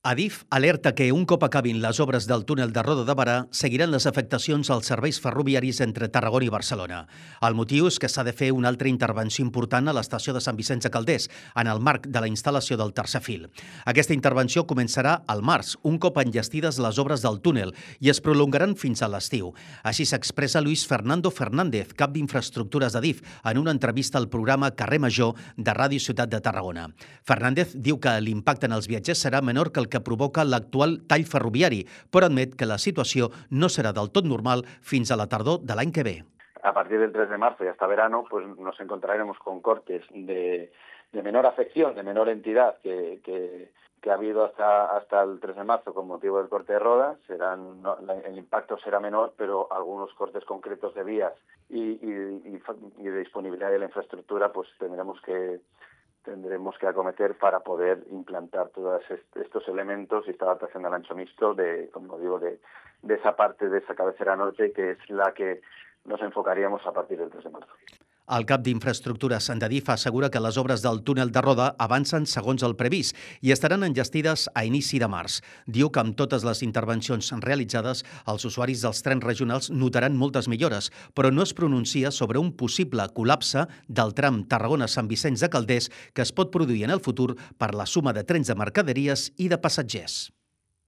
Adif alerta que un cop acabin les obres del túnel de Roda de Berà seguiran les afectacions als serveis ferroviaris entre Tarragona i Barcelona. El motiu és que s'ha de fer una altra intervenció important a l'estació de Sant Vicenç de Calders, en el marc de la instal·lació del tercer fil. Aquesta intervenció començarà al març, un cop enllestides les obres del túnel, i es prolongaran fins a l'estiu. Així s'expressa Luis Fernando Fernández, cap d'infraestructures d'Adif, en una entrevista al programa Carrer Major de Ràdio Ciutat de Tarragona. Fernández diu que l'impacte en els viatgers serà menor que el que provoca l'actual tall ferroviari, però admet que la situació no serà del tot normal fins a la tardor de l'any que ve. A partir del 3 de marzo y hasta verano, pues nos encontraremos con cortes de menor afección, de menor entidad que ha habido hasta el 3 de marzo con motivo del corte de rodas. El impacto será menor, pero algunos cortes concretos de vías y de disponibilidad de la infraestructura pues tendremos que acometer para poder implantar todos estos elementos y esta adaptación al ancho mixto de esa parte de esa cabecera norte, que es la que nos enfocaríamos a partir del 3 de marzo. El cap d'Infraestructures d'Adif assegura que les obres del túnel de Roda avancen segons el previst i estaran enllestides a inici de març. Diu que amb totes les intervencions realitzades, els usuaris dels trens regionals notaran moltes millores, però no es pronuncia sobre un possible col·lapse del tram Tarragona-Sant Vicenç de Calders que es pot produir en el futur per la suma de trens de mercaderies i de passatgers.